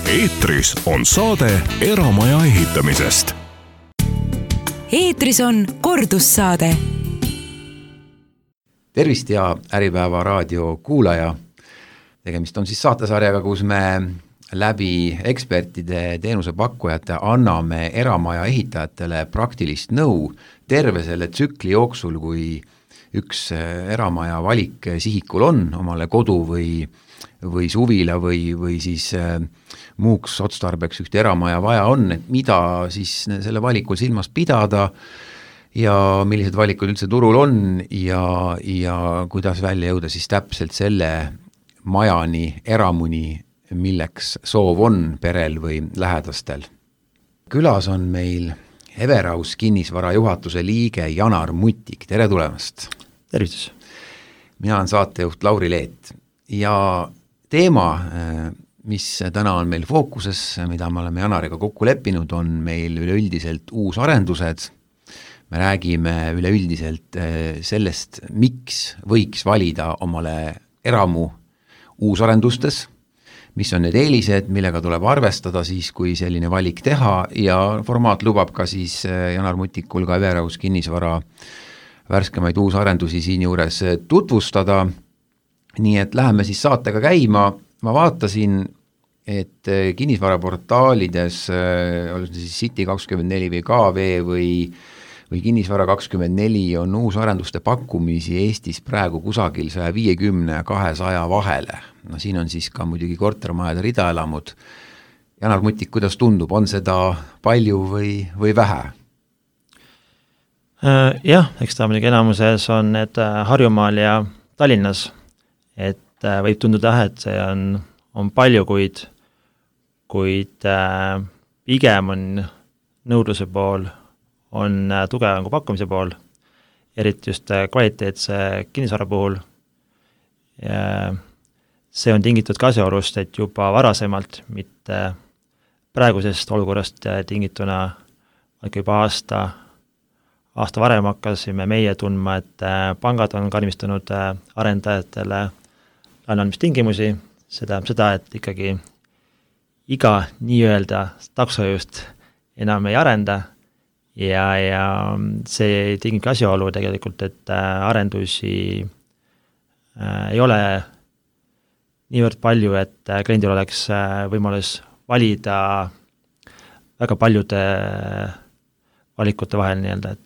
Eetris on saade eramaja ehitamisest. Eetris on kordussaade. Tervist ja Äripäeva raadio kuulaja. Tegemist on siis saatesarjaga, kus me läbi ekspertide teenusepakkujate anname eramaja ehitajatele praktilist nõu terve selle tsükli jooksul, kui üks eramaja valik sihikul on, omale kodu või suvila või siis muuks otstarbeks üks eramaja vaja on, et mida siis selle valikul silmas pidada ja millised valikud üldse turul on ja kuidas välja jõuda siis täpselt selle majani, eramuni, milleks soov on perel või lähedastel. Külas on meil Everaus kinnisvara juhatuse liige Janar Mutik, tere tulemast! Tervitus! Mina olen saatejuht Lauri Leet ja teema, mis täna on meil fookuses, mida me oleme Janariga kokku leppinud, on meil üleüldiselt uusarendused. Me räägime üleüldiselt sellest, miks võiks valida omale eramu uusarendustes, mis on need eelised, millega tuleb arvestada siis, kui selline valik teha ja formaat lubab ka siis Janar Mutikul ka Everaus kinnisvara värskemaid uusarendusi siin juures tutvustada. Nii et läheme siis saatega käima. Ma vaatasin, et kinnisvaraportaalides, olles siis City24 või KV või Kinnisvara24 on uusarenduste pakkumisi Eestis praegu kusagil 150 ja 200 vahele. No siin on siis ka muidugi kortermajade ridaelamud. Janar Mutik, kuidas tundub, on seda palju või vähe? Jah, eks ta muidugi enamuses on need Harjumaal ja Tallinnas, et võib tunduda, et see on palju, kuid pigem on nõudluse pool on tugevam kui pakkumise pool, eriti just kvaliteetse kinnisvara puhul. See on tingitud ka asjaolust, et juba varasemalt, mitte praegusest olukorrast tingituna, juba aasta varem hakkasime meie tundma, et pangad on karmistanud arendajatele laenuandmistingimusi. See tähendab seda, et ikkagi iga nii-öelda taksojuht enam ei arenda ja see tingib asjaolu tegelikult, et arendusi ei ole niivõrd palju, et kliendil oleks võimalus valida väga paljude valikute vahel nii-öelda,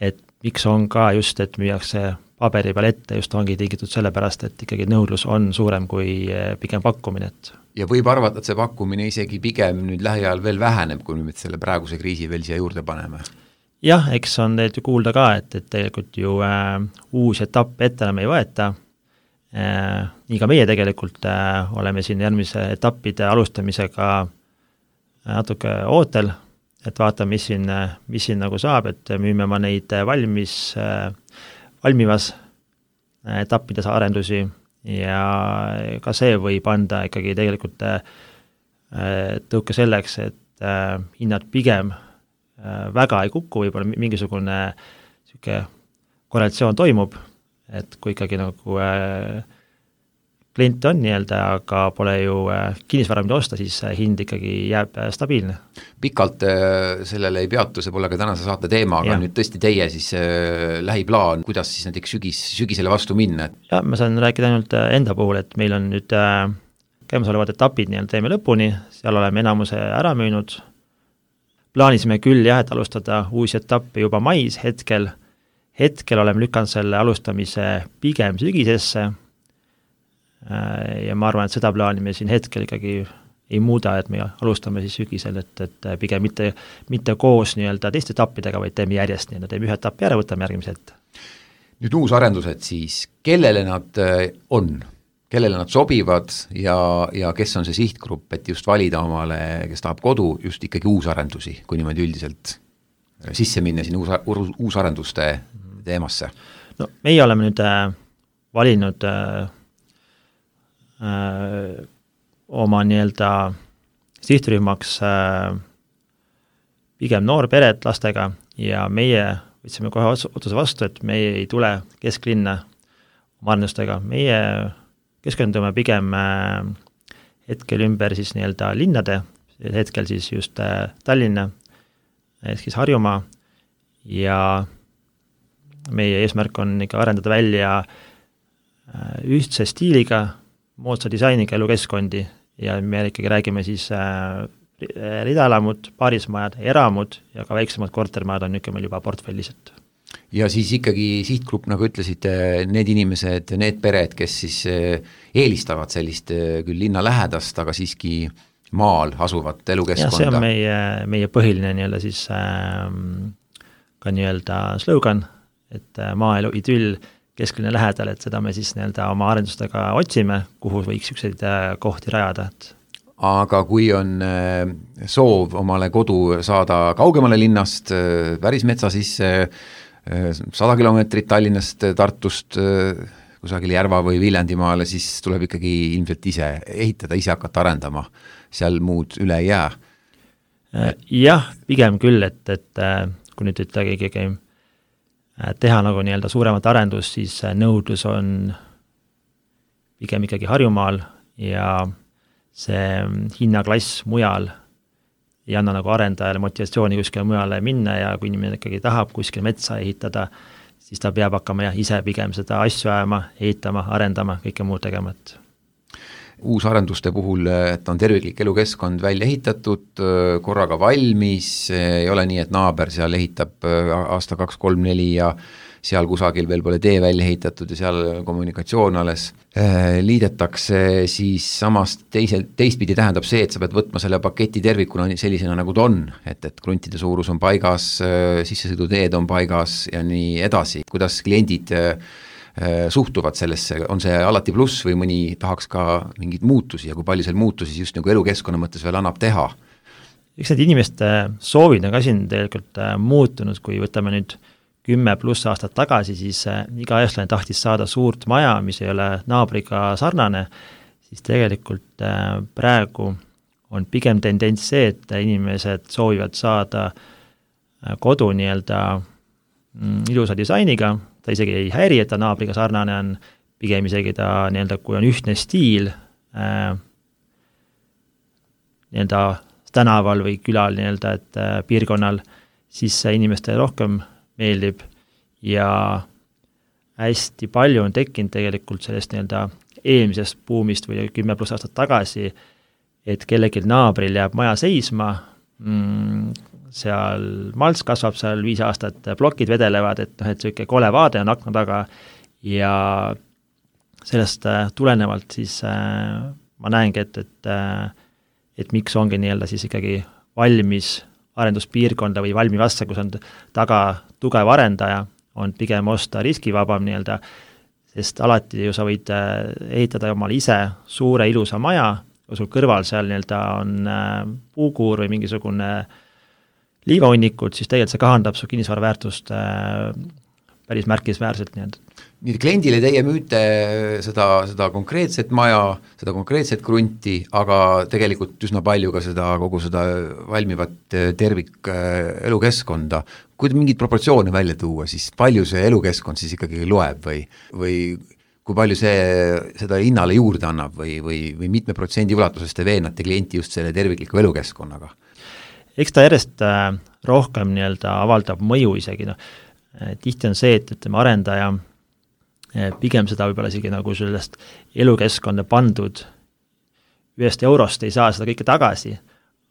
et miks on ka just, et müüakse paberi peal ette, just ongi tingitud sellepärast, et ikkagi nõudlus on suurem kui pigem pakkumine. Ja võib arvata, et see pakkumine isegi pigem nüüd lähiajal veel väheneb, kui me selle praeguse kriisi veel siia juurde paneme. Jah, eks on tegelikult ju kuulda ka, et tegelikult ju uus etapp ette enam ei võeta. Nii ka meie tegelikult oleme siin järgmise etappide alustamisega natuke ootel, et vaatame, mis siin nagu saab, et müüme ma neid valmivas etappides arendusi ja ka see võib anda ikkagi tegelikult tõuke selleks, et hinnad pigem väga ei kuku, võib-olla mingisugune korrelatsioon toimub, et kui ikkagi nagu klient on nii-öelda, aga pole ju kinnisvara mida osta, siis hind ikkagi jääb stabiilne. Pikalt sellele ei peatu, see pole ka tänase saate teema, aga nüüd tõesti teie siis lähiplaan, kuidas siis näiteks sügisele vastu minna? Ja, ma saan rääkida ainult enda puhul, et meil on nüüd käimasolevad etapid nii-öelda teeme lõpuni, seal oleme enamuse ära müünud. Plaanisime küll et alustada uusi etappe juba mais hetkel oleme lükanud selle alustamise pigem sügisesse ja ma arvan, et seda plaani me siin hetkel ikkagi ei muuda, et me alustame siis sügisel, et pigem mitte koos nii-öelda teiste etappidega, vaid teeme järjest nii-öelda, teeme ühe etappi ära, võtame järgmiselt. Nüüd uusarendused siis, kellele nad on? Kellele nad sobivad ja kes on see sihtgrupp, et just valida omale, kes tahab kodu, just ikkagi uusarendusi, kui niimoodi üldiselt sisse minna siin uusarenduste teemasse? No, meie oleme nüüd valinud oma nii-öelda sihtrühmaks pigem noorpered lastega ja meie võtsime kohe otsuse vastu, et meie ei tule kesklinna oma arendustega. Meie keskendume pigem hetkel ümber siis nii-öelda linnade, hetkel siis just Tallinna, siis Harjumaa ja meie eesmärk on ikka arendada välja ühtse stiiliga, moodsa disainiga elukeskkondi ja me ikkagi räägime siis ridaelamud, paarismajad, eramud ja ka väiksemad kortermajad on niisugune meil juba portfellis, et ja siis ikkagi sihtgrupp, nagu ütlesite, need inimesed, need pered, kes siis eelistavad sellist küll linna lähedast, aga siiski maal asuvat elukeskkonda. Ja see on meie põhiline nii-öelda siis ka nii-öelda slogan, et maaelu idüll kesklinna lähedal, et seda me siis nii-öelda oma arendustega otsime, kuhu võiks ükseid kohti rajada. Aga kui on soov omale kodu saada kaugemale linnast, päris metsa sisse, 100 kilomeetrit Tallinnast, Tartust, kusagil Järva või Viljandimaale, siis tuleb ikkagi ilmselt ise ehitada, ise hakata arendama, seal muud üle ei jää. Jah, pigem küll, et kui nüüd ikkagi teha nagu nii-öelda suuremat arendust, siis nõudlus on pigem ikkagi Harjumaal ja see hinnaklass mujal ei anna nagu arendajale motivatsiooni kuskile mujale minna ja kui inimene ikkagi tahab kuskil metsa ehitada, siis ta peab hakkama ise pigem seda asju ajama, ehitama, arendama, kõike muud tegema. Uusarenduste puhul, et on terviklik elukeskkond välja ehitatud, korraga valmis, ei ole nii, et naaber seal ehitab aasta 2, 3, 4 ja seal kusagil veel pole tee välja ehitatud ja seal kommunikatsioon alles liidetakse, siis samas teistpidi tähendab see, et sa pead võtma selle paketi tervikuna sellisena, nagu ta on, et kruntide suurus on paigas, sissesõiduteed on paigas ja nii edasi. Kuidas kliendid suhtuvad sellesse, on see alati pluss või mõni tahaks ka mingeid muutusi ja kui palju seal muutusi just nagu elukeskkonna mõttes veel annab teha? Eks need inimeste soovid on ka siin tegelikult muutunud, kui võtame nüüd 10+ aastat tagasi, siis iga eestlane tahtis saada suurt maja, mis ei ole naabriga sarnane, siis tegelikult praegu on pigem tendents see, et inimesed soovivad saada kodu nii-öelda ilusa disainiga, ta isegi ei häiri, et ta naabriga sarnane on, pigem isegi ta nii-öelda, kui on ühtne stiil nii-öelda tänaval või külal nii-öelda, et piirkonnal, siis see inimestele rohkem meeldib ja hästi palju on tekkinud tegelikult sellest nii-öelda eelmisest buumist või 10+ aastat tagasi, et kellelgi naabril jääb maja seisma, seal malts kasvab seal 5 aastat, plokid vedelevad, et selline kole vaade on akna taga ja sellest tulenevalt siis ma näengi, et miks ongi nii-öelda siis ikkagi valmis arenduspiirkonda või valmivasse, kus on taga tugev arendaja, on pigem osta riskivabam nii-öelda, sest alati ju sa võid ehitada omale ise suure ilusa maja, kui sul kõrval seal nii-öelda on puukuur või mingisugune liivahunnikud, siis tegelikult see kahandab su kinnisvara väärtust päris märkisväärselt nii-öelda. Nii kliendile teie müüte seda konkreetset maja, seda konkreetset krunti, aga tegelikult üsna palju ka kogu seda valmivat tervik elukeskkonda. Kui mingid proportsioone välja tuua, siis palju see elukeskkond siis ikkagi loeb või kui palju seda hinnale juurde annab või mitme protsendi ulatuses te veenate klienti just selle tervikliku elukeskkonnaga? Eks ta järjest rohkem nii-öelda avaldab mõju isegi. Tihti on see, et arendaja pigem seda võib-olla isegi nagu sellest elukeskkonda pandud 1 eurost ei saa seda kõike tagasi,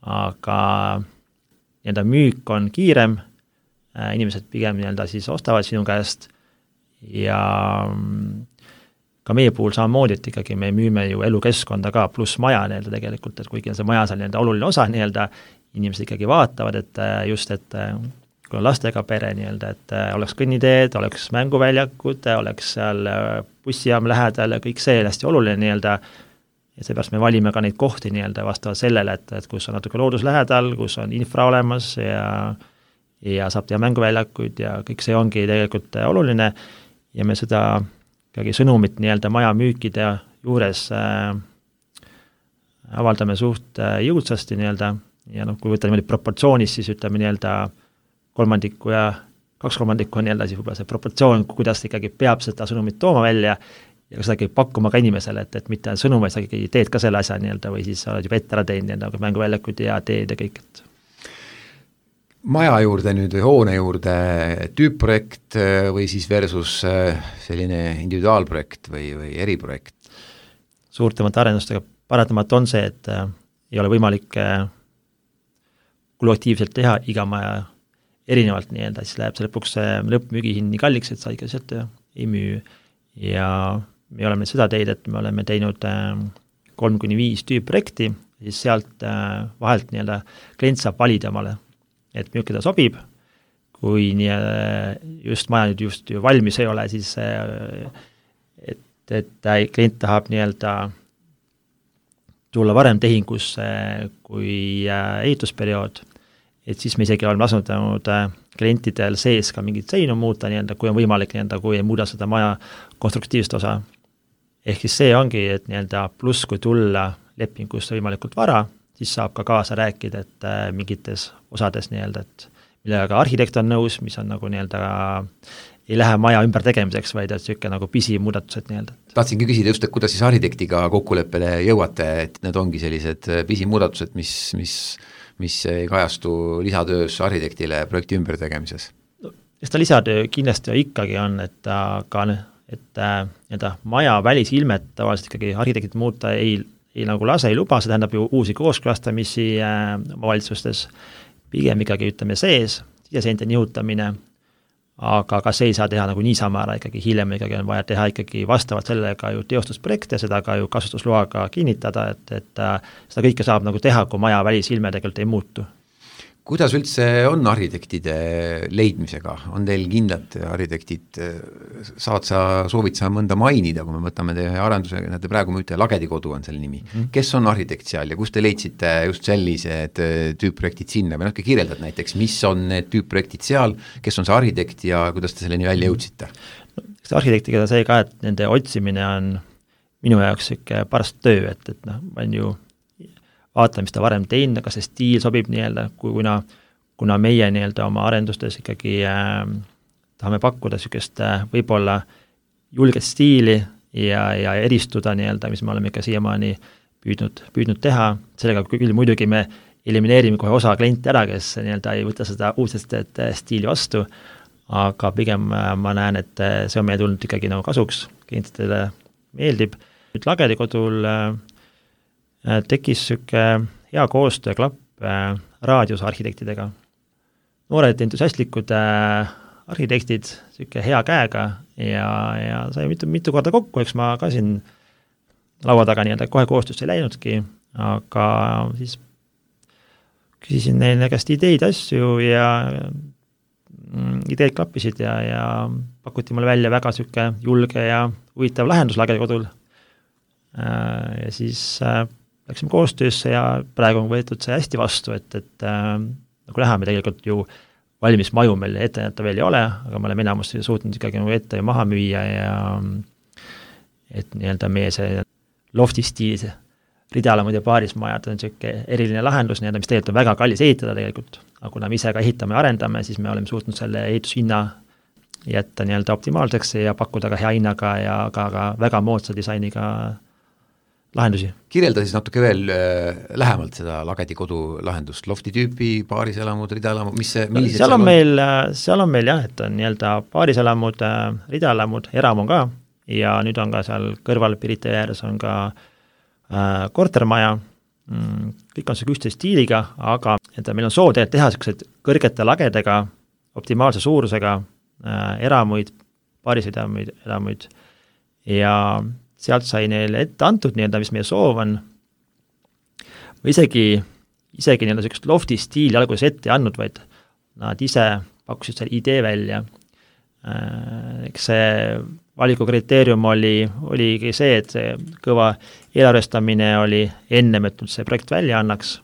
aga nii-öelda müük on kiirem, inimesed pigem nii-öelda siis ostavad sinu käest ja ka meie puhul samamoodi, et ikkagi me müüme ju elukeskkonda ka pluss maja nii-öelda tegelikult, et kuigi on see maja seal nii-öelda oluline osa nii-öelda, inimesed ikkagi vaatavad, et just, et kui on lastega pere nii-öelda, et oleks kõnniteed, oleks mänguväljakud, oleks seal bussijaam lähedal ja kõik see hästi oluline nii-öelda ja seepärast me valime ka neid kohti nii-öelda vastavalt sellele, et kus on natuke loodus lähedal, kus on infra olemas ja saab teha mänguväljakuid ja kõik see ongi tegelikult oluline ja me seda ikkagi sõnumit nii-öelda maja müükide juures avaldame suht jõudsasti nii-öelda ja kui võtta niimoodi proportsioonis, siis ütleme nii-öelda 3/3 ja 2/3 on nii-öelda siis võib-olla see proportsioon, kuidas ikkagi peab seda sõnumit tooma välja ja seda ikkagi pakkuma ka inimesele, et mitte sõnum, vaid sa ikkagi teed ka selle asja nii-öelda või siis oled juba ette ära teinud nii-öelda mänguväljakud ja teed ja kõik, et maja juurde nüüd või hoone juurde tüüpprojekt või siis versus selline individuaalprojekt või eriprojekt? Suurtemate arendustega paratamata on see, et ei ole võimalik kuluaktiivselt teha iga maja erinevalt nii-öelda, siis läheb see lõpuks lõppmüügihind nii kalliks, et sa ikka sealt ei müü. Ja me oleme seda teid, et me oleme teinud 3-5 tüüpprojekti, siis sealt vahelt nii-öelda klient saab valida omale, et milline ta sobib, kui just maja nüüd just ju valmis ei ole, siis et klient tahab nii-öelda tulla varem tehingusse kui ehitusperiood, et siis me isegi oleme asunud klientidel sees ka mingit seinu muuta, nii-öelda, kui on võimalik, nii-öelda, kui ei muuda seda maja konstruktiivset osa. Ehk siis see ongi, et nii-öelda pluss, kui tulla lepingusse võimalikult vara, siis saab ka kaasa rääkida, et mingites osades nii-öelda, et millega arhitekt on nõus, mis on nagu nii-öelda ei lähe maja ümber tegemiseks, vaid et niisugune nagu pisimuudatused nii-öelda. Tahtsingi küsida just, et kuidas siis arhitektiga kokkuleppele jõuate, et need ongi sellised pisimuudatused, mis ei kajastu lisatöös arhitektile projekti ümber tegemises? Eks ta lisatöö kindlasti ikkagi on, et maja välisilmet tavaliselt ikkagi arhitektid muuta ei nagu lase, ei luba, see tähendab ju uusi kooskõlastamisi omavalitsustes, pigem ikkagi ütleme sees, siseseinte nihutamine, aga ka see ei saa teha nagu niisama ära, ikkagi hiljem ikkagi on vaja teha ikkagi vastavalt sellega ju teostusprojekte, seda ka ju kasutusloaga kinnitada, et seda kõike saab nagu teha, kui maja välisilme tegelikult ei muutu. Kuidas üldse on arhitektide leidmisega? On teil kindlad arhitektid, soovid sa mõnda mainida, kui me võtame teie arenduse, näete praegu müüte Lagedikodu on selle nimi. Kes on arhitekt seal ja kus te leidsite just sellised tüüpprojektid sinna või natuke kirjeldad näiteks, mis on need tüüpprojektid seal, kes on see arhitekt ja kuidas te selleni välja jõudsite? Eks arhitektiga see ka, et nende otsimine on minu jaoks parast töö, et on ju vaatame, mis ta varem teinud, kas see stiil sobib nii-öelda, kuna meie nii-öelda oma arendustes ikkagi tahame pakkuda niisugust võib-olla julget stiili ja eristuda nii-öelda, mis me oleme ikka siiamaani püüdnud teha, sellega küll muidugi me elimineerime kohe osa kliente ära, kes nii-öelda ei võta seda uudset stiili vastu, aga pigem ma näen, et see on meie tulnud ikkagi nagu kasuks, klientidele meeldib. Nüüd Lagedikodul tekkis niisugune hea koostöö klapp raadiusarhitektidega. Noored entusiastlikud arhitektid, niisugune hea käega ja sai mitu korda kokku, eks ma ka siin laua taga nii-öelda kohe koostöösse ei läinudki, aga siis küsisin neile käest ideid, asju ja ideed klappisid ja pakuti mulle välja väga niisugune julge ja huvitav lahendus Lagedikodul. Ja siis läksime koostöösse ja praegu on võetud see hästi vastu, et nagu näha, me tegelikult ju valmis maju meil ette näita veel ei ole, aga me oleme enamus suutnud ikkagi nagu ette maha müüa ja et nii-öelda meie see lofti stiilis ridalamud ja paarismajad on niisugune eriline lahendus, nii-öelda, mis tegelikult on väga kallis ehitada tegelikult, aga kuna me ise ka ehitame ja arendame, siis me oleme suutnud selle ehitushinna jätta nii-öelda optimaalseks ja pakkuda ka hea hinnaga ja ka väga moodsa disainiga lahendusi. Kirjelda siis natuke veel lähemalt seda Lagedikodu lahendust, lofti tüüpi, paariselamud, ridalamud, millised seal on meil jah, et on nii-öelda paariselamud, ridalamud, eram on ka ja nüüd on ka seal kõrval Pirita ääres on ka kortermaja, kõik on see ühtse stiiliga, aga meil on soov teha sellised kõrgete lagedega, optimaalse suurusega eramuid, paariselamuid ja sealt sai neile ette antud nii-öelda, mis meie soov on. Või isegi nii-öelda sellist lofti stiili alguses ette andnud, vaid nad ise pakkusid selle idee välja. Eks see valikukriteerium oligi see, et see kõva eelarvestamine oli ennem, et see projekt välja annaks.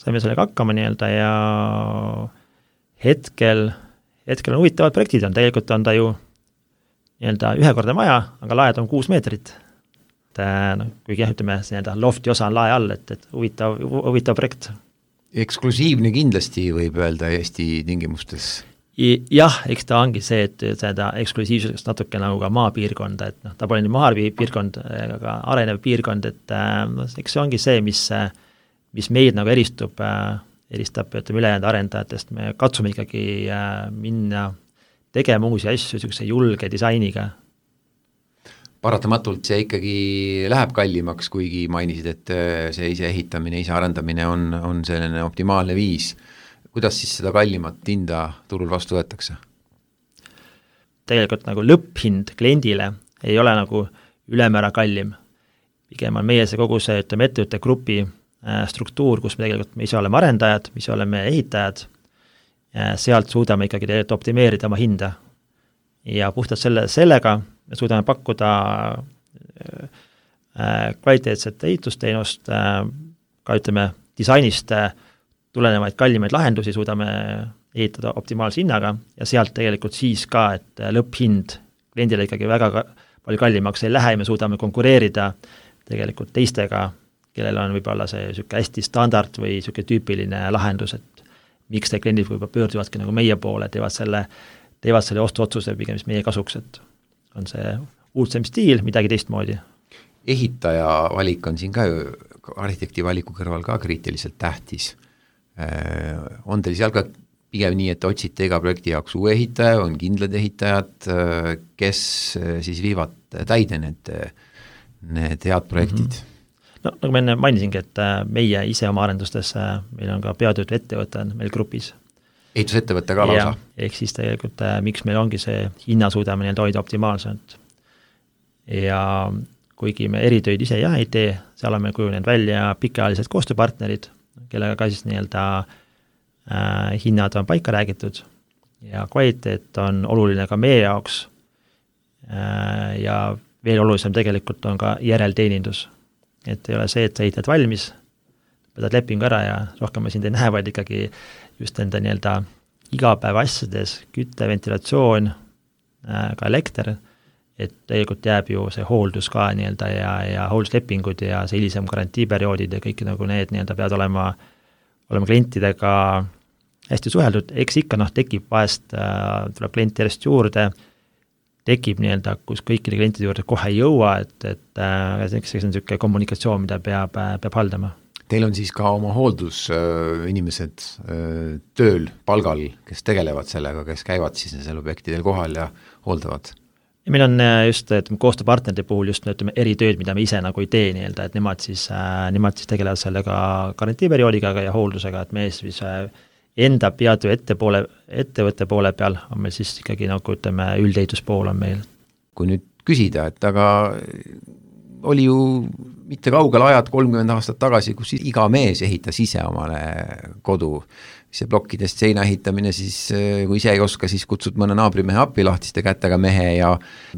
Saime sellega hakkama nii-öelda ja hetkel on huvitavad projektid, tegelikult on ta ju nii-öelda ühekordne maja, aga laed on 6 meetrit. Kuigi jah, ütleme, see nii-öelda lofti osa on lae all, et huvitav projekt. Eksklusiivne kindlasti võib öelda Eesti tingimustes. Jah, eks ta ongi see, et seda eksklusiivsusest natuke nagu ka maapiirkonda, et ta pole nii maapiirkond, aga arenev piirkond, et eks see ongi see, mis meid nagu eristab ülejäänud arendajatest, me katsume ikkagi minna tegema uusi asju niisuguse julge disainiga. Paratamatult see ikkagi läheb kallimaks, kuigi mainisid, et see ise ehitamine, ise arendamine on selline optimaalne viis. Kuidas siis seda kallimat hinda turul vastu võetakse? Tegelikult nagu lõpphind kliendile ei ole nagu ülemäära kallim. Pigem on meie see kogu see ettevõtte grupi struktuur, kus me ise oleme arendajad, me ise oleme ehitajad, sealt suudame ikkagi tegelikult optimeerida oma hinda. Ja puhtalt sellega me suudame pakkuda kvaliteetset ehitusteenust, ka ütleme disainist tulenevaid kallimaid lahendusi suudame ehitada optimaalse hinnaga ja sealt tegelikult siis ka, et lõpphind kliendile ikkagi väga palju kallimaks ei lähe ja me suudame konkureerida tegelikult teistega, kellel on võib-olla see niisugune hästi standard või niisugune tüüpiline lahendus, et miks te kliendid võib-olla pöörduvadki nagu meie poole, teevad selle ostuotsuse pigem meie kasuks, et on see uudsem stiil, midagi teistmoodi. Ehitaja valik on siin ka ju arhitekti valiku kõrval ka kriitiliselt tähtis. On teil seal ka pigem nii, et otsite iga projekti jaoks uue ehitaja, on kindlad ehitajad, kes siis viivad täide need head projektid? No nagu ma enne mainisingi, et meie ise oma arendustes, meil on ka peatöötu ettevõte meil grupis. Ehitusettevõte ka lausa? Ehk siis tegelikult, miks meil ongi see hinna suudame hoida optimaalselt. Ja kuigi me eritöid ise ei tee, seal on meil kujunenud välja pikaajalised koostööpartnerid, kellega ka siis hinnad on paika räägitud ja kvaliteet on oluline ka meie jaoks ja veel olulisem tegelikult on ka järelteenindus. Et ei ole see, et sa ehitad valmis, võtad lepingu ära ja rohkem ma sind ei näe, vaid ikkagi just enda igapäeva asjades, kütte, ventilatsioon, ka elekter, et tegelikult jääb ju see hooldus ka ja hoolduslepingud ja see hilisem garantiiperioodid ja kõik nagu need peavad olema klientidega hästi suheldud, eks ikka tekib vahest, tuleb klienti järjest juurde, tekib kus kõikide klientide juurde kohe ei jõua, et see on niisugune kommunikatsioon, mida peab haldama. Teil on siis ka oma hooldusinimesed tööl, palgal, kes tegelevad sellega, kes käivad siis nendel objektidel kohal ja hooldavad? Ja meil on just koostööpartnerite puhul just eritööd, mida me ise nagu ei tee, et nemad siis tegelevad sellega garantiiperioodiga ja hooldusega, et me siis enda peatöö ettevõtte poole peal on meil siis ikkagi nagu üldehituspool on meil. Kui nüüd küsida, et aga oli ju mitte kaugel ajad 30 aastat tagasi, kus iga mees ehitas ise omale kodu, see plokkidest seina ehitamine, siis kui ise ei oska, siis kutsud mõne naabrimehe appi lahtiste kätega mehe ja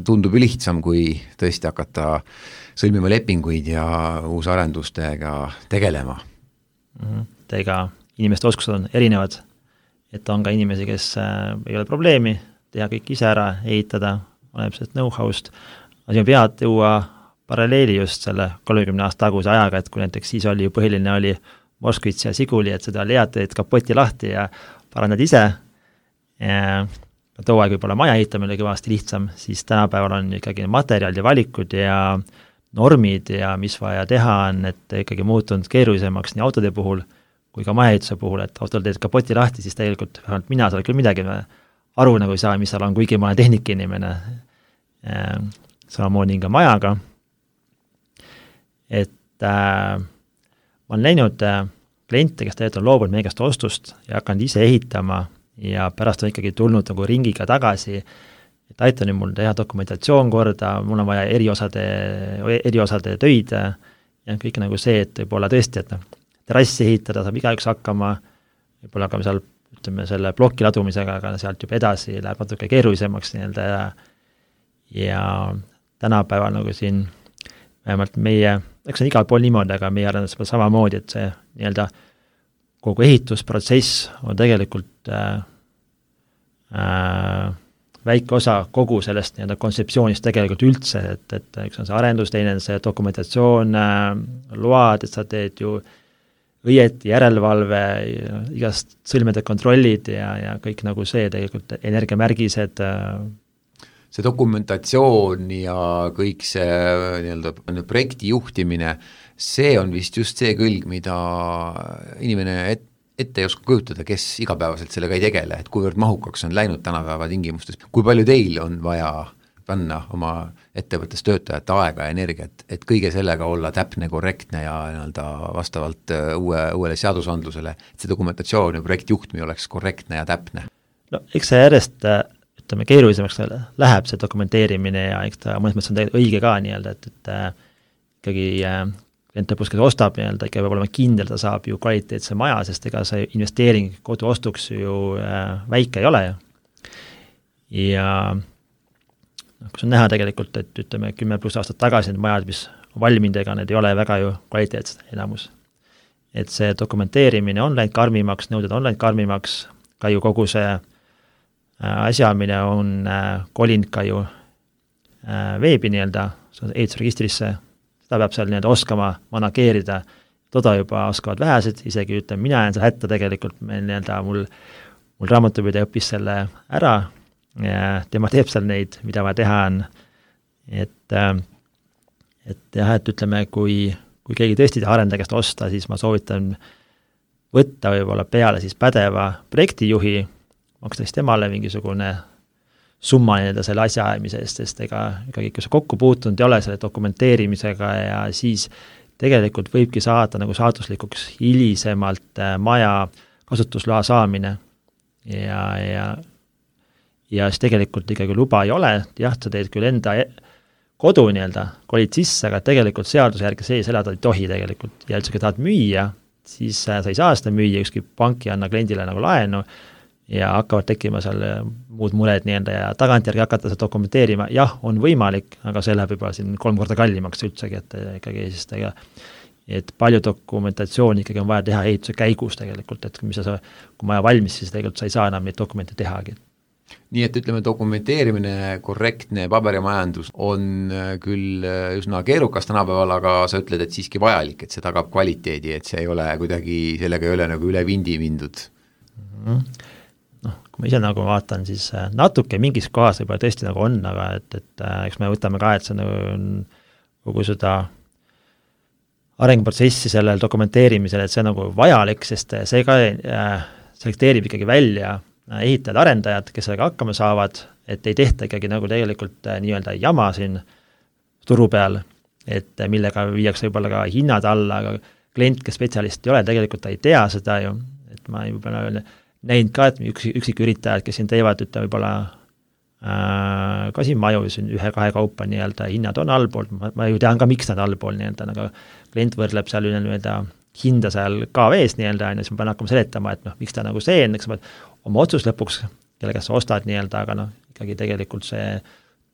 tundub ju lihtsam, kui tõesti hakata sõlmima lepinguid ja uusarendustega tegelema. Ega inimeste oskused on erinevad, et on ka inimesi, kes ei ole probleemi, teha kõik ise ära, ehitada, oleneb sellest know-how'st, aga siin pead tuua paralleeli just selle 30 aasta taguse ajaga, et kui näiteks siis oli ju põhiline oli Moskvits ja Siguli, et seda leatad kapoti lahti ja parandad ise. Too aeg võib-olla maja ehitamine oli kõvasti lihtsam, siis tänapäeval on ikkagi materjalid ja valikud ja normid ja mis vaja teha on, et ikkagi muutunud keerulisemaks nii autode puhul kui ka majaehituse puhul, et autol teed kapoti lahti, siis tegelikult mina seal küll midagi aru nagu ei saa, mis seal on, kuigi ma olen tehnikainimene. Samamoodi ka majaga. Et ma olen läinud kliente, kes tegelikult on loobunud meie käest ostust ja hakanud ise ehitama ja pärast on ikkagi tulnud nagu ringiga tagasi, et aitan nüüd mul teha dokumentatsioon korda, mul on vaja eriosade töid ja kõik nagu see, et võib-olla tõesti, et terrassi ehitada saab igaüks hakkama, võib-olla ka seal, ütleme, selle ploki ladumisega, aga sealt juba edasi läheb natuke keerulisemaks ja tänapäeval nagu siin vähemalt meie, eks on igal pool niimoodi, aga meie arendus samamoodi, et see kogu ehitusprotsess on tegelikult väike osa kogu sellest kontseptsioonist tegelikult üldse, et üks on see arendus, teine on see dokumentatsioon, load, et sa teed ju õieti, järelevalve, igast sõlmede kontrollid ja kõik nagu see tegelikult energiamärgised. See dokumentatsioon ja kõik see nii-öelda projekti juhtimine, see on vist just see külg, mida inimene ette ei oska kujutada, kes igapäevaselt sellega ei tegele, et kuivõrd mahukaks on läinud tänapäeva tingimustes, kui palju teil on vaja panna oma ettevõttes töötajate aega ja energiat, et kõige sellega olla täpne, korrektne ja nii-öelda vastavalt uuele seadusandlusele, et see dokumentatsioon ja projekti juhtmine oleks korrektne ja täpne. No eks see järjest, ütleme, keerulisemaks läheb see dokumenteerimine ja eks ta mõnes mõttes on tegelikult õige ka nii-öelda, et ikkagi klient lõpus, kes ostab nii-öelda, ikka peab olema kindel, ta saab ju kvaliteetse maja, sest ega see investeering kodu ostuks ju väike ei ole ju. Ja kus on näha tegelikult, et ütleme 10+ aastat tagasi need majad, mis on valminud, ega need ei ole väga ju kvaliteetsed enamus. Et see dokumenteerimine on läinud karmimaks, nõuded on läinud karmimaks, ka ju kogu see asjamine on kolinud ka ju veebi nii-öelda, ehitusregistrisse, seda peab seal nii-öelda oskama manageerida, toda juba oskavad vähesed, isegi ütleme, mina jään seal hätta tegelikult, meil nii-öelda mul raamatupidaja õppis selle ära, ja tema teeb seal neid, mida vaja teha on, et jah, et ütleme, kui keegi tõesti arendaja käest osta, siis ma soovitan võtta võib-olla peale siis pädeva projektijuhi, maksta siis temale mingisugune summa nii-öelda selle asja ajamise eest, sest ikkagi kui sa kokku puutunud ei ole selle dokumenteerimisega ja siis tegelikult võibki saada nagu saatuslikuks hilisemalt maja kasutusloa saamine ja siis tegelikult ikkagi luba ei ole, jah, sa teed küll enda kodu nii-öelda, kolid sisse, aga tegelikult seaduse järgi sees elada ei tohi tegelikult ja üldse, kui tahad müüa, siis sa ei saa seda müüa, ükski pank ei anna kliendile nagu laenu ja hakkavad tekkima seal muud mured nii-öelda ja tagantjärgi hakata seda dokumenteerima, jah, on võimalik, aga see läheb juba siin 3 korda kallimaks üldsegi, et ikkagi siis et palju dokumentatsiooni ikkagi on vaja teha ehituse käigus tegelikult, et kui maja valmis, siis tegelikult sa ei saa enam neid dokumente tehagi. Nii et ütleme, dokumenteerimine, korrektne paberimajandus on küll üsna keerukas tänapäeval, aga sa ütled, et siiski vajalik, et see tagab kvaliteedi, et see ei ole kuidagi, sellega ei ole nagu üle vindi mindud. Noh, kui ma ise nagu vaatan, siis natuke mingis kohas võib-olla tõesti nagu on, aga et eks me võtame ka, et see on kogu seda arenguprotsessi sellel dokumenteerimisel, et see on nagu vajalik, sest see ka selekteerib ikkagi välja ehitajad, arendajad, kes sellega hakkama saavad, et ei tehta ikkagi nagu tegelikult nii-öelda jama siin turu peal, et millega viiakse võib-olla ka hinnad alla, aga klient, kes spetsialist ei ole, tegelikult ta ei tea seda ju, et ma võib-olla näinud ka, et üksik üritajad, kes siin teevad, ütleme võib-olla ka siin maju, siin 1-2 kaupa nii-öelda hinnad on allpool, ma ju tean ka, miks nad allpool nii-öelda, aga klient võrdleb seal nii-öelda hinda seal KV-s nii-öelda, siis ma pean hakkama seletama, et miks ta nagu see on, eks ma oma otsus lõpuks, kellega sa ostad nii-öelda, aga ikkagi tegelikult see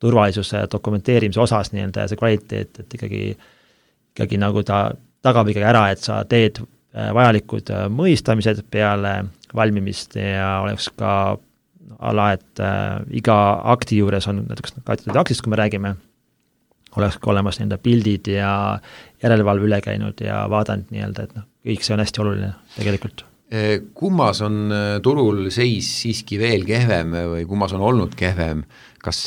turvalisuse dokumenteerimise osas nii-öelda ja see kvaliteet, et ikkagi nagu ta tagab ikkagi ära, et sa teed vajalikud mõistamised peale valmimist ja oleks ka et iga akti juures on näiteks kaetud aktist, kui me räägime, oleks ka olemas nii-öelda pildid ja järelevalve üle käinud ja vaadanud nii-öelda, et kõik see on hästi oluline tegelikult. Kummas on turul seis siiski veel kehvem või kummas on olnud kehvem, kas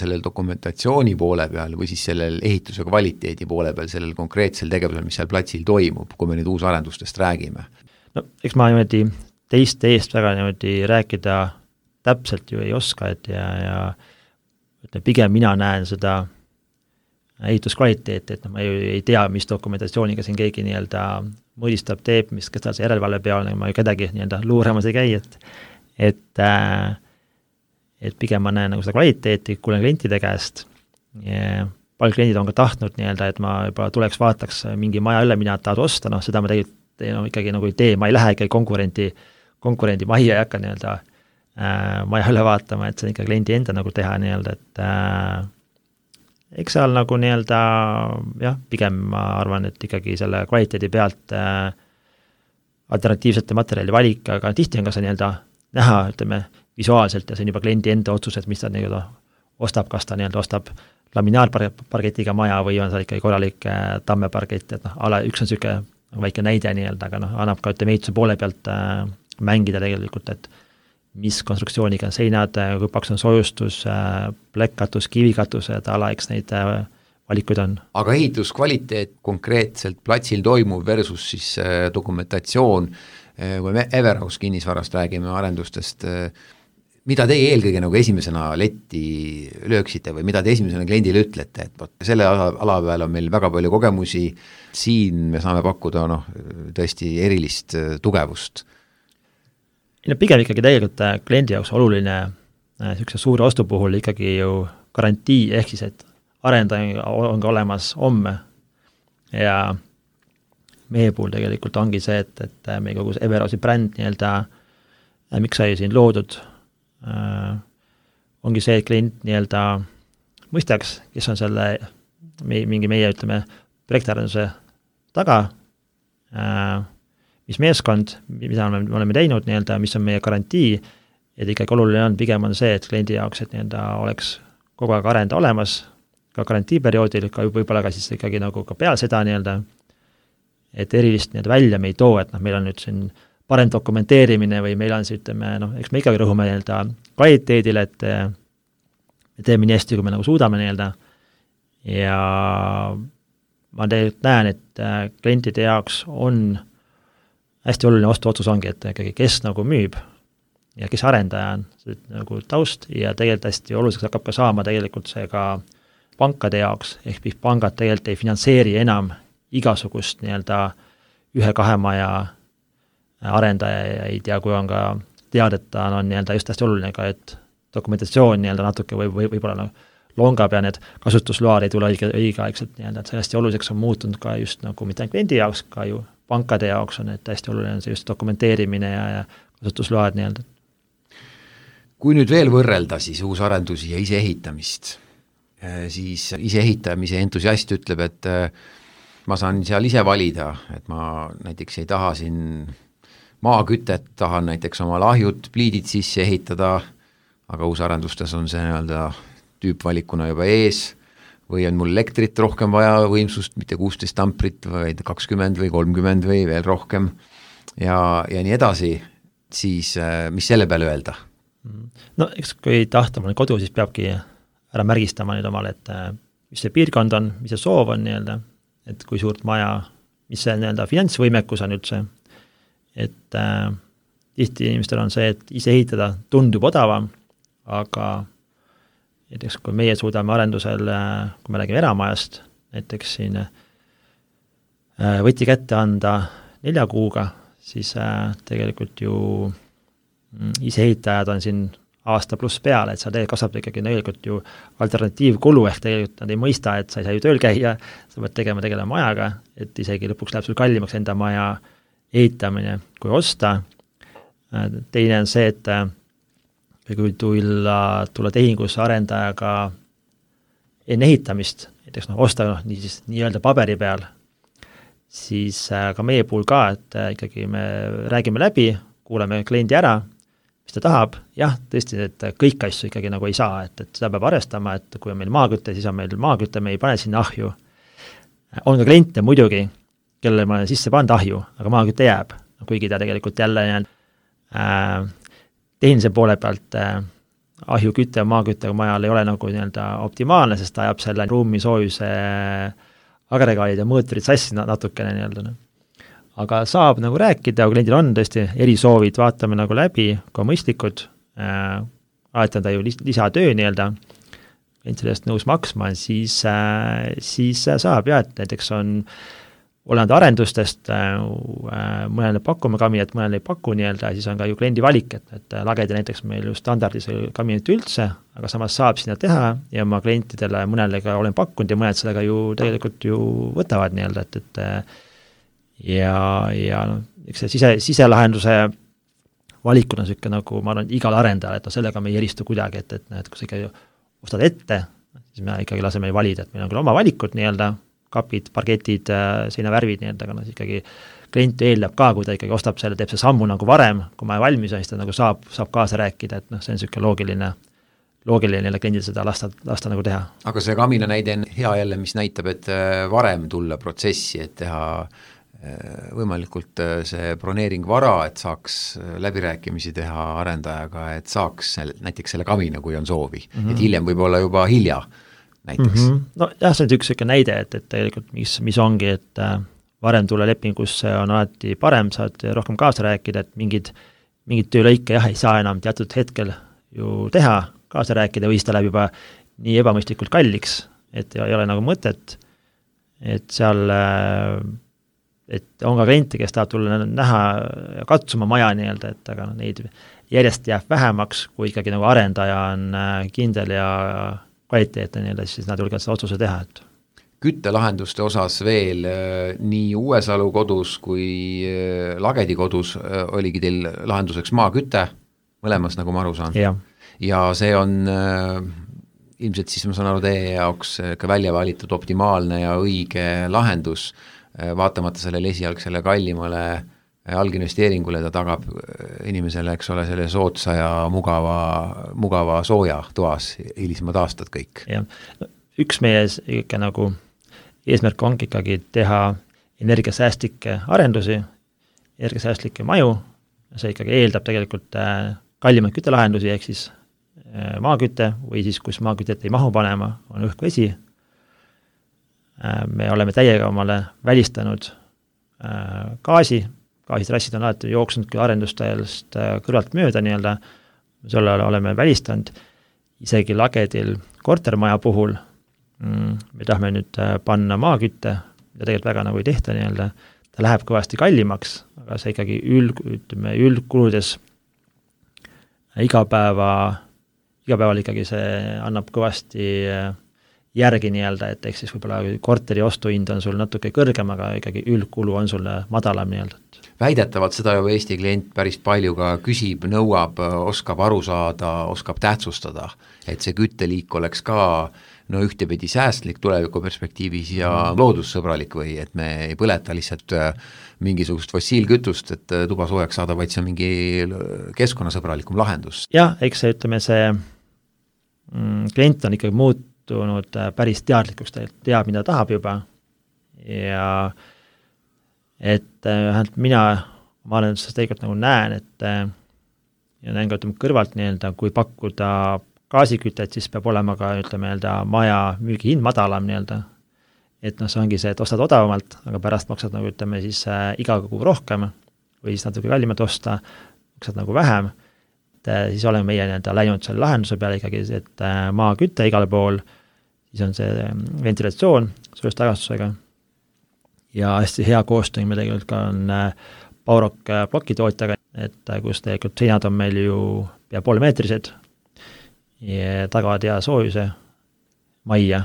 sellel dokumentatsiooni poole peal või siis sellel ehituse kvaliteedi poole peal, sellel konkreetsel tegevusel, mis seal platsil toimub, kui me nüüd uusarendustest räägime? No eks ma niimoodi teiste eest väga niimoodi rääkida täpselt ju ei oska, et ja pigem mina näen seda ehituskvaliteeti, et ma ju ei tea, mis dokumentatsiooniga siin keegi nii-öelda mõõdistab, teeb, kes tal see järelevalve peal, ma ju kedagi nii-öelda luuramas ei käi, et pigem ma näen nagu seda kvaliteeti, kuulen klientide käest ja palju kliendid on ka tahtnud nii-öelda, et ma juba tuleks vaataks mingi maja üle, mina tahad osta, seda ma tegelikult ikkagi nagu ei tee, ma ei lähe ikkagi konkurendi majja ei hakka nii-öelda maja üle vaatama, et see on ikka kliendi enda nagu teha nii-öelda, et eks seal nagu nii-öelda jah, pigem ma arvan, et ikkagi selle kvaliteedi pealt alternatiivsete materjali valik, aga tihti on ka see nii-öelda näha, ütleme, visuaalselt ja see on juba kliendi enda otsus, et mis ta nii-öelda ostab, kas ta nii-öelda ostab laminaarpargetiga maja või on seal ikkagi korralik tammeparget, et üks on niisugune väike näide nii-öelda, aga annab ka ehituse poole pealt mängida tegelikult, et mis konstruktsiooniga on seinad, kui paks on soojustus, plekkkatus, kivikatused, eks neid valikuid on. Aga ehituskvaliteet konkreetselt platsil toimuv versus siis dokumentatsioon, kui me Everhouse kinnisvarast räägime arendustest, mida teie eelkõige nagu esimesena letti lööksite või mida te esimesena kliendile ütlete, et võt, selle ala peal on meil väga palju kogemusi, siin me saame pakkuda tõesti erilist tugevust? Pigem ikkagi tegelikult kliendi jaoks oluline niisuguse suure ostu puhul ikkagi ju garantii, ehk siis, et arendaja on ka olemas homme ja meie puhul tegelikult ongi see, et meie kogu see Everhouse'i bränd nii-öelda, miks sai siin loodud, ongi see, et klient nii-öelda mõistaks, kes on selle mingi meie, ütleme, projektarenduse taga, mis meeskond, mida me oleme teinud nii-öelda, mis on meie garantii, et ikkagi oluline on, pigem on see, et kliendi jaoks, et nii-öelda oleks kogu aeg arenda olemas, ka garantiiperioodil, ka võib-olla ka siis ikkagi nagu ka peale seda nii-öelda, et erilist nii-öelda välja me ei too, et meil on nüüd siin parem dokumenteerimine või meil on see, ütleme, eks me ikkagi rõhume nii-öelda kvaliteedile, et me teeme nii hästi, kui me nagu suudame nii-öelda ja ma tegelikult näen, et klientide jaoks on hästi oluline ostuotsus ongi, et ikkagi kes nagu müüb ja kes arendaja on, see nagu taust ja tegelikult hästi oluliseks hakkab ka saama tegelikult see ka pankade jaoks, ehk pangad tegelikult ei finantseeri enam igasugust nii-öelda 1-2 maja arendaja ei tea, kui on ka teada, et ta on nii-öelda just hästi oluline ka, et dokumentatsioon nii-öelda natuke võib-olla longab ja need kasutusload ei tule õigeaegselt nii-öelda, et see hästi oluliseks on muutunud ka just nagu mitte ainult kliendi jaoks, ka ju pankade jaoks on, et hästi oluline on see just dokumenteerimine ja kasutusload nii-öelda. Kui nüüd veel võrrelda siis uusarendusi ja iseehitamist, siis iseehitamise entusiast ütleb, et ma saan seal ise valida, et ma näiteks ei taha siin maakütet, tahan näiteks oma lahjud, pliidid sisse ehitada, aga uusarendustes on see nii-öelda tüüpvalikuna juba ees, või on mul elektrit rohkem vaja võimsust, mitte 16 amprit, vaid 20 või 30 või veel rohkem ja nii edasi, siis mis selle peale öelda? No eks kui tahta mõne kodu, siis peabki ära märgistama nüüd omale, et mis see piirkond on, mis see soov on nii-öelda, et kui suurt maja, mis see nii-öelda finantsvõimekus on üldse, et tihti inimestel on see, et ise ehitada tundub odavam, aga näiteks kui meie suudame arendusel, kui me räägime eramajast, näiteks siin võti kätte anda 4 kuuga, siis tegelikult ju iseehitajad on siin aasta pluss peale, et seal tegelikult kasvab ikkagi tegelikult ju alternatiivkulu, ehk tegelikult nad ei mõista, et sa ei saa ju tööl käia, sa pead tegelema majaga, et isegi lõpuks läheb sul kallimaks enda maja ehitamine kui osta. Teine on see, et kui tulla tehingusse arendajaga enne ehitamist, näiteks osta nii-öelda paberi peal, siis ka meie puhul ka, et ikkagi me räägime läbi, kuuleme kliendi ära, mis ta tahab, jah, tõesti, et kõik asju ikkagi nagu ei saa, et seda peab arvestama, et kui on meil maaküte, siis on meil maaküte, me ei pane sinna ahju. On ka kliente muidugi, kellele ma olen sisse pannud ahju, aga maaküte jääb, kuigi ta tegelikult jälle tehnilise poole pealt ahjuküte ja maaküttega majal ei ole nagu nii-öelda optimaalne, sest ta ajab selle ruumi soojuse agregaadid ja mõõturid sassi natukene nii-öelda. Aga saab nagu rääkida, kui kliendil on tõesti erisoovid, vaatame nagu läbi, kui mõistlikud, alati on ta ju lisatöö nii-öelda, klient sellest nõus maksma, siis saab jah, et näiteks on olenud arendustest, mõnele pakume kabinet, mõnele ei paku nii-öelda, siis on ka ju kliendi valik, et lagedi näiteks meil ju standardis kabinet üldse, aga samas saab sinna teha ja ma klientidele mõnele ka olen pakkunud ja mõned sellega ju tegelikult ju võtavad nii-öelda, et ja eks see siselahenduse valikuna on niisugune nagu, ma arvan, igal arendajal, et sellega me ei eristu kuidagi, et kui sa ikka ostad ette, siis me ikkagi laseme valida, et meil on küll oma valikud nii-öelda, kapid, parketid, seinavärvid nii-öelda, aga ikkagi klient eeldab ka, kui ta ikkagi ostab selle, teeb see sammu nagu varem, kui ma valmis on, siis ta nagu saab kaasa rääkida, et see on niisugune loogiline kliendil seda lasta nagu teha. Aga see kamina näide on hea jälle, mis näitab, et varem tulla protsessi, et teha võimalikult see broneering vara, et saaks läbirääkimisi teha arendajaga, et saaks näiteks selle kamina, kui on soovi. Et hiljem võib olla juba hilja näiteks. No jah, see on üks selline näide, et tegelikult mis ongi, et varem tulla lepingusse on alati parem, saad rohkem kaasa rääkida, et mingid töölõike jah, ei saa enam teatud hetkel ju teha, kaasa rääkida või seda läheb juba nii ebamõistlikult kalliks, et ei ole nagu mõtet, et seal et on ka kliente, kes tahab tulla näha ja katsuma maja nii-öelda, et aga neid järjest jääb vähemaks, kui ikkagi nagu arendaja on kindel ja kvaliteetne nii-öelda, siis nad julgevad seda otsuse teha, et küttelahenduste osas veel nii Uuesalu kodus kui Lagedi kodus oligi teil lahenduseks maaküte, mõlemas, nagu ma aru saan. Ja see on ilmselt siis ma saan aru teie jaoks ka välja valitud optimaalne ja õige lahendus, vaatamata sellele esialgsele kallimale alginvesteeringule, ta tagab inimesele, eks ole, selle sootsa ja mugava sooja toas hilisemad aastad kõik. Ja. Üks meie ikka nagu eesmärk ongi ikkagi teha energiasäästlikke arendusi, energiasäästlikke maju, see ikkagi eeldab tegelikult kallimaid küttelahendusi, ehk siis maaküte või siis, kus maakütet ei mahu panema, on õhk-vesi. Me oleme täiega omale välistanud gaasitrassid on alati jooksnud küll arendustajast kõrvalt mööda nii-öelda, selle oleme välistanud, isegi Lagedil kortermaja puhul me tahame nüüd panna maakütte, ja tegelikult väga nagu ei tehta nii-öelda, ta läheb kõvasti kallimaks, aga see ikkagi üldkuludes igapäeval ikkagi see annab kõvasti järgi nii-öelda, et eks siis võib-olla korteri ostuhind on sul natuke kõrgem, aga ikkagi üldkulu on sul madalam nii-öelda. Väidetavalt seda ju Eesti klient päris palju ka küsib, nõuab, oskab aru saada, oskab tähtsustada, et see kütteliik oleks ka ühtepidi säästlik tuleviku perspektiivis ja loodussõbralik või et me ei põleta lihtsalt mingisugust fossiilkütust, et tuba soojaks saada, vaid see on mingi keskkonnasõbralikum lahendus. Jah, eks see, ütleme, see klient on ikkagi muutunud päris teadlikuks, ta teab, mida tahab juba ja et mina arenduses tegelikult nagu näen, et ja näen ka kõrvalt nii-öelda, kui pakkuda gaasikütet, siis peab olema ka, ütleme, maja müügihind madalam nii-öelda. Et see ongi see, et ostad odavamalt, aga pärast maksad nagu, ütleme, siis iga kuu rohkem või siis natuke kallimalt osta, maksad nagu vähem. Et siis oleme meie nii-öelda läinud selle lahenduse peale ikkagi, et maaküte igal pool, siis on see ventilatsioon soojustagustusega ja hästi hea koostöö meil tegelikult ka on Baurok plokitootjaga, et kus tegelikult seinad on meil ju pea poolmeetrised ja tagavad hea soojuse majja,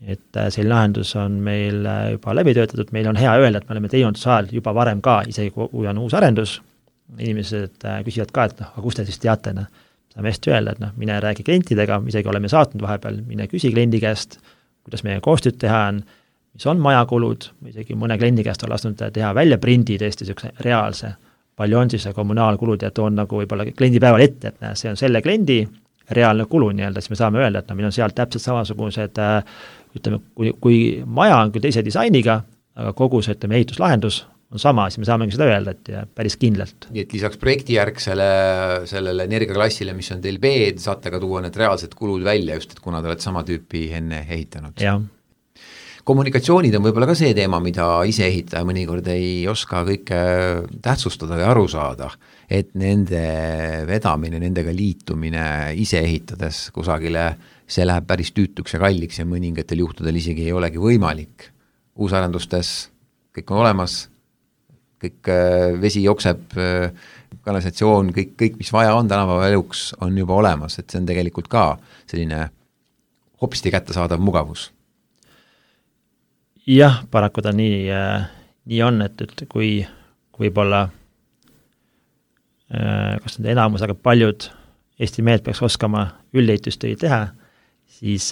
et selline lahendus on meil juba läbi töötatud, meil on hea öelda, et me oleme teinud sajal juba varem ka, isegi kui on uus arendus, inimesed küsivad ka, et aga kust te siis teate, saame hästi öelda, et mine räägi klientidega, isegi oleme saatnud vahepeal, mine küsi kliendi käest, kuidas meie koostööd teha on, mis on majakulud, isegi mõne kliendi käest on lasknud teha välja prindi tõesti niisuguse reaalse, palju on siis kommunaalkulud ja toon nagu võib-olla kliendipäeval ette, et see on selle kliendi reaalne kulu nii-öelda, siis me saame öelda, et meil on seal täpselt samasugused, ütleme, kui maja on küll teise disainiga, aga kogu see, ütleme, ehituslahendus on sama, siis me saamegi seda öelda, et päris kindlalt. Nii et lisaks projektijärgsele sellele energiaklassile, mis on teil B, saate ka tuua need reaalsed kulud välja, just et kuna te olete sama tüüpi enne ehitanud. Jah. Kommunikatsioonid on võib-olla ka see teema, mida ise ehitaja mõnikord ei oska kõike tähtsustada ja aru saada, et nende vedamine, nendega liitumine ise ehitades kusagile, see läheb päris tüütuks ja kalliks ja mõningatel juhtudel isegi ei olegi võimalik. Uusarendustes kõik on olemas, kõik vesi jookseb, kanalisatsioon, kõik, mis vaja on tänapäeva eluks, on juba olemas, et see on tegelikult ka selline hopsti kättesaadav mugavus. Jah, paraku ta nii on, et kui võib-olla kas nüüd enamus, aga paljud Eesti mehed peaks oskama üldeitustöid teha, siis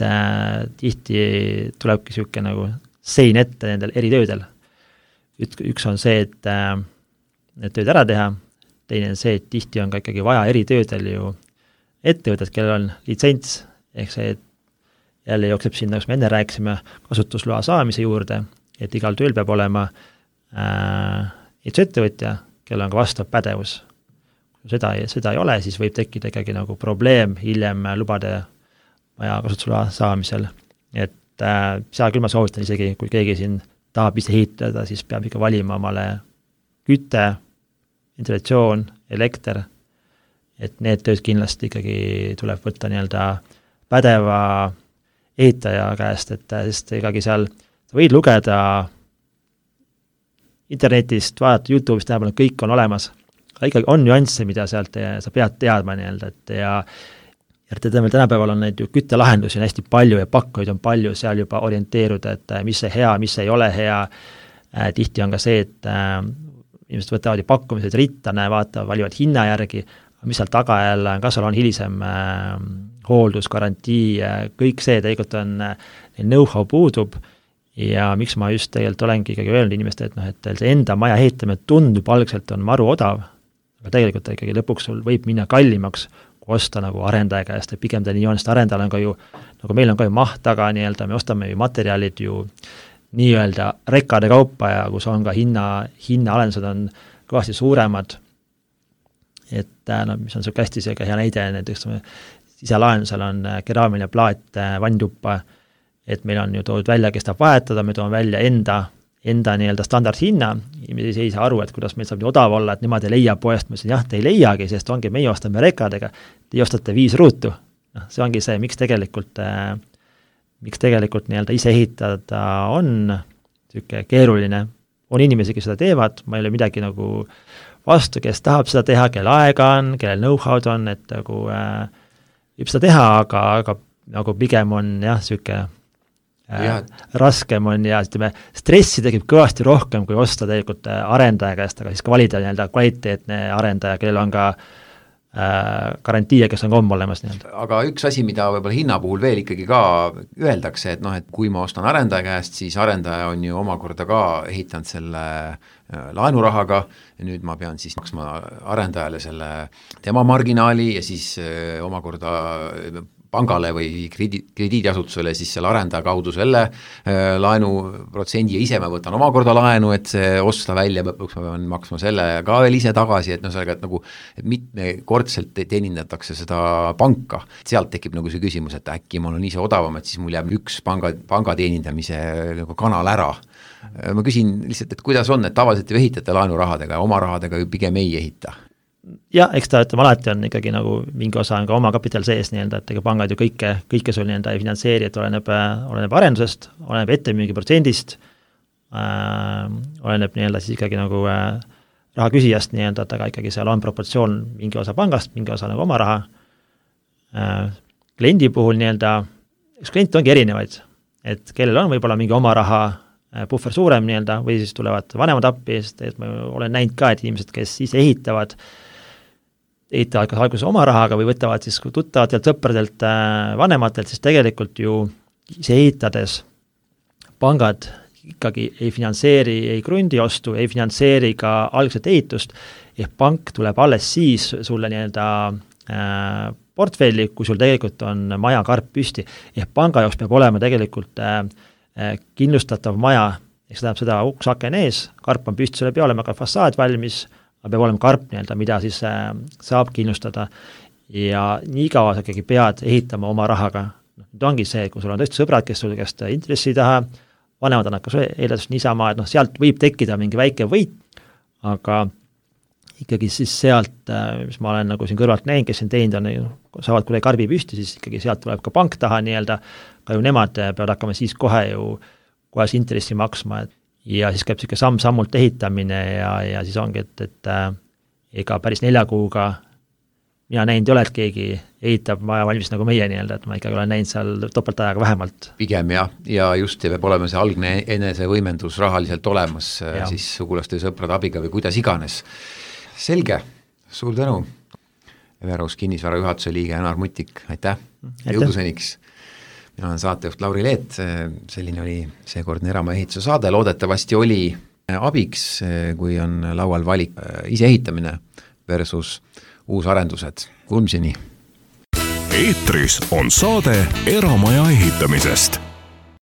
tihti tulebki niisugune nagu sein ette nendel eritöödel. Üks on see, et need tööd ära teha, teine on see, et tihti on ka ikkagi vaja eritöödel ju ettevõtted, kellel on litsents, ehk see, et jälle jookseb sinna, kus me enne rääkisime, kasutusloa saamise juurde, et igal tööl peab olema ehitusettevõtja, kellel on ka vastav pädevus. Kui seda ei ole, siis võib tekkida ikkagi nagu probleem hiljem lubade maja kasutusloa saamisel. Et seal küll ma soovitan isegi, kui keegi siin tahab ise ehitada, siis peab ikka valima omale küte, ventilatsioon, elekter, et need tööd kindlasti ikkagi tuleb võtta nii-öelda pädeva ehitaja käest, et sest ikkagi seal sa võid lugeda internetist, vaadata YouTube'ist, tähendab, kõik on olemas, aga ikkagi on nüansse, mida sealt sa pead teadma nii-öelda, et ja tänapäeval on neid ju küttelahendusi on hästi palju ja pakkujaid on palju, seal juba orienteeruda, et mis see hea, mis ei ole hea, tihti on ka see, et inimesed võtavad ju pakkumised rittane, vaatavad, valivad hinna järgi, mis seal taga jälle on, kas seal on hilisem hooldus, garantii, kõik see tegelikult on, know-how puudub ja miks ma just tegelikult olengi ikkagi öelnud inimeste, et et see enda maja ehitamine tundub algselt on maru odav, aga tegelikult ikkagi lõpuks sul võib minna kallimaks, kui osta nagu arendaja käest, et pigem ta nii on, sest arendajal on ka ju, nagu meil on ka ju maht taga nii-öelda, me ostame ju materjalid ju nii-öelda rekkade kaupa ja kus on ka hinnaalendused on kõvasti suuremad, et mis on selline hästi selline hea näide, näiteks siselahendusel on keraamiline plaat vanntuppa, et meil on ju toodud välja, kes tahab vahetada, me toome välja enda nii-öelda standardhinna, inimesed ei saa aru, et kuidas meil saab nii odav olla, et nemad ei leia poest, ma ütlesin, jah, te ei leiagi, sest ongi, meie ostame rekadega, te ostate 5 ruutu. See ongi see, miks tegelikult nii-öelda ise ehitada on selline keeruline. On inimesi, kes seda teevad, ma ei ole midagi nagu vastu, kes tahab seda teha, kelle aega on, kelle know-how'd on, et nagu võib seda teha, aga nagu pigem on jah, selline raskem on ja ütleme, stressi tekib kõvasti rohkem, kui osta tegelikult arendaja käest, aga siis ka valida nii-öelda kvaliteetne arendaja, kellel on ka garantii, kes on ka olemas nii-öelda. Aga üks asi, mida võib-olla hinna puhul veel ikkagi ka öeldakse, et et kui ma ostan arendaja käest, siis arendaja on ju omakorda ka ehitanud selle laenurahaga ja nüüd ma pean siis maksma arendajale selle tema marginaali ja siis omakorda pangale või krediidiasutusele siis selle arendaja kaudu selle laenuprotsendi ja ise ma võtan omakorda laenu, et see osta välja, lõpuks ma pean maksma selle ka veel ise tagasi, et sellega, et nagu et mitmekordselt teenindatakse seda panka. Sealt tekib nagu see küsimus, et äkki mul on ise odavam, et siis mul jääb üks panga teenindamise nagu kanal ära. Ma küsin lihtsalt, et kuidas on, et tavaliselt ju ehitate laenurahadega ja oma rahadega ju pigem ei ehita? Ja, eks ta ütleme, alati on ikkagi nagu mingi osa on ka oma kapital sees nii-öelda, et ega pangad ju kõike sul nii-öelda ei finantseeri, et oleneb arendusest, oleneb ettemüügi protsendist, oleneb nii-öelda siis ikkagi nagu raha küsijast nii-öelda, et aga ikkagi seal on proportsioon mingi osa pangast, mingi osa nagu oma raha. Kliendi puhul nii-öelda, üks klient ongi erinevaid, et kellel on võib-olla mingi oma raha puhver suurem nii-öelda või siis tulevad vanemad appi, sest et ma olen näinud ka, et inimesed, kes ise ehitavad kas alguses oma rahaga või võtavad siis tuttavatelt, sõpradelt, vanematelt, siis tegelikult ju ise ehitades pangad ikkagi ei finantseeri ei krundiostu, ei finantseeri ka algset ehitust, ehk pank tuleb alles siis sulle nii-öelda portfelli, kui sul tegelikult on maja karp püsti, ehk panga jaoks peab olema tegelikult kindlustatav maja, ehk see tähendab seda uks aken ees, karp on püsti, selle peab olema ka fassaad valmis, aga peab olema karp nii-öelda, mida siis saab kindlustada ja nii kaua sa ikkagi pead ehitama oma rahaga. Nüüd ongi see, kui sul on tõesti sõbrad, kes sul käest intressi ei taha, vanemad on hakkas eeldavast niisama, et sealt võib tekkida mingi väike võit, aga ikkagi siis sealt, mis ma olen nagu siin kõrvalt näinud, kes siin teinud on, saavad kuidagi karbi püsti, siis ikkagi sealt tuleb ka pank taha nii-öelda, ka ju nemad peavad hakkama siis kohe intressi maksma, ja siis käib selline samm-sammult ehitamine ja siis ongi, et ega päris 4 kuuga mina näinud ei ole, et keegi ehitab maja valmis nagu meie nii-öelda, et ma ikkagi olen näinud seal topeltajaga vähemalt. Pigem ja just peab olema see algne enesevõimendus rahaliselt olemas, siis sugulaste ja sõprade abiga või kuidas iganes. Selge, suur tänu. Everus kinnisvara juhatuse liige Janar Mutik, aitäh. Jõuduseniks. Mina olen saatejuht Lauri Leet, selline oli seekordne Eramaja ehituse saade, loodetavasti oli abiks, kui on laual valik ise ehitamine versus uusarendused. Kuulmiseni! Eetris on saade Eramaja ehitamisest.